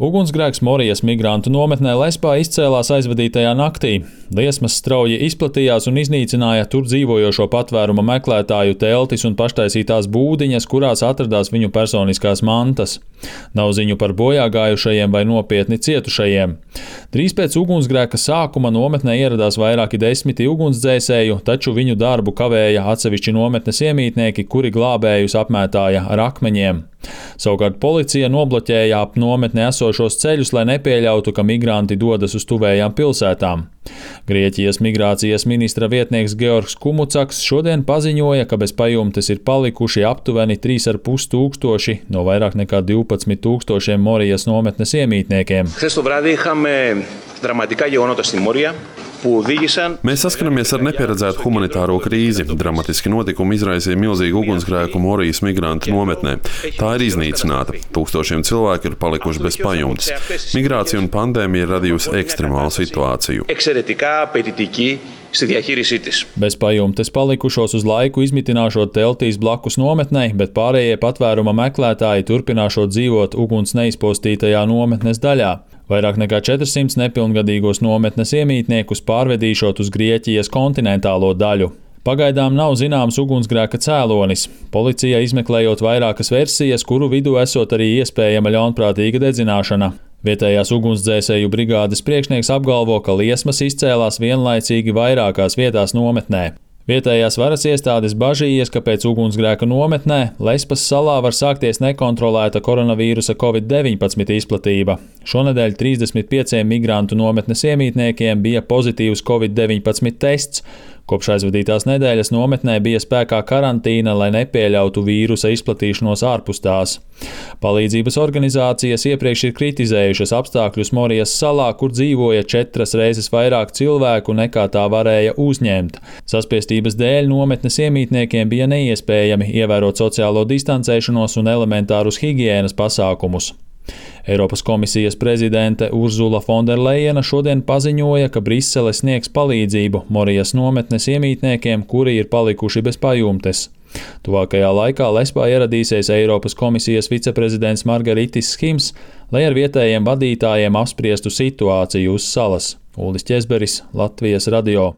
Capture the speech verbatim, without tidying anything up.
Ugunsgrēks Morijas migrantu nometnē Lespā izcēlās aizvadītajā naktī. Liesmas strauji izplatījās un iznīcināja tur dzīvojošo patvēruma meklētāju teltis un paštaisītās būdiņas, kurās atradās viņu personiskās mantas. Nav ziņu par bojāgājušajiem vai nopietni cietušajiem. Drīz pēc ugunsgrēka sākuma nometnē ieradās vairāki desmiti ugunsdzēsēju, taču viņu darbu kavēja atsevišķi nometnes iemītnieki, kuri glābējus apmētāja ar akmeņiem. Savukārt policija nobloķēja ap nometni esošos ceļus, lai nepieļautu, ka migranti dodas uz tuvējām pilsētām. Grieķijas migrācijas ministra vietnieks Georgs Kumucaks šodien paziņoja, ka bez pajumtes ir palikuši aptuveni trīs ar pus tūkstoši no vairāk nekā divpadsmit tūkstošiem Morijas nometnes iemītniekiem. Mēs saskaramies ar nepieredzētu humanitāro krīzi. Dramatiski notikumi izraisīja milzīgu ugunsgrēku Morijas migrantu nometnē. Tā ir iznīcināta. Tūkstošiem cilvēku ir palikuši bez pajumtes. Migrācija un pandēmija ir radījusi ekstremālu situāciju. Bez pajumtes palikušos uz laiku izmitināšot teltīs blakus nometnei, bet pārējie patvēruma meklētāji turpināšot dzīvot uguns neizpostītajā nometnes daļā. Vairāk nekā četrsimt nepilngadīgos nometnes iemītniekus pārvedīšot uz Grieķijas kontinentālo daļu. Pagaidām nav zināms ugunsgrēka cēlonis. Policija izmeklējot vairākas versijas, kuru vidū esot arī iespējama ļaunprātīga dedzināšana. Vietējās ugunsdzēsēju brigādes priekšnieks apgalvo, ka liesmas izcēlās vienlaicīgi vairākās vietās nometnē. Vietējās varas iestādes bažījies, ka pēc ugunsgrēka nometnē Lespas salā var sākties nekontrolēta koronavīrusa covid deviņpadsmit izplatība. Šonedēļ trīsdesmit pieciem migrantu nometnes iemītniekiem bija pozitīvs covid deviņpadsmit tests. Kopš aizvadītās nedēļas nometnē bija spēkā karantīna, lai nepieļautu vīrusa izplatīšanos ārpus tās. Palīdzības organizācijas iepriekš ir kritizējušas apstākļus Morijas salā, kur dzīvoja četras reizes vairāk cilvēku nekā tā varēja uzņemt. Saspiestības dēļ nometnes iemītniekiem bija neiespējami ievērot sociālo distancēšanos un elementārus higienas pasākumus. Eiropas komisijas prezidente Urzula Fonderlejena šodien paziņoja, ka Brisele sniegs palīdzību Morijas nometnes iemītniekiem, kuri ir palikuši bez pajumtes. Tuvākajā laikā Lespā ieradīsies Eiropas komisijas viceprezidents Margaritis Skims, lai ar vietējiem vadītājiem apspriestu situāciju uz salas. Uldis Ķezberis, Latvijas radio.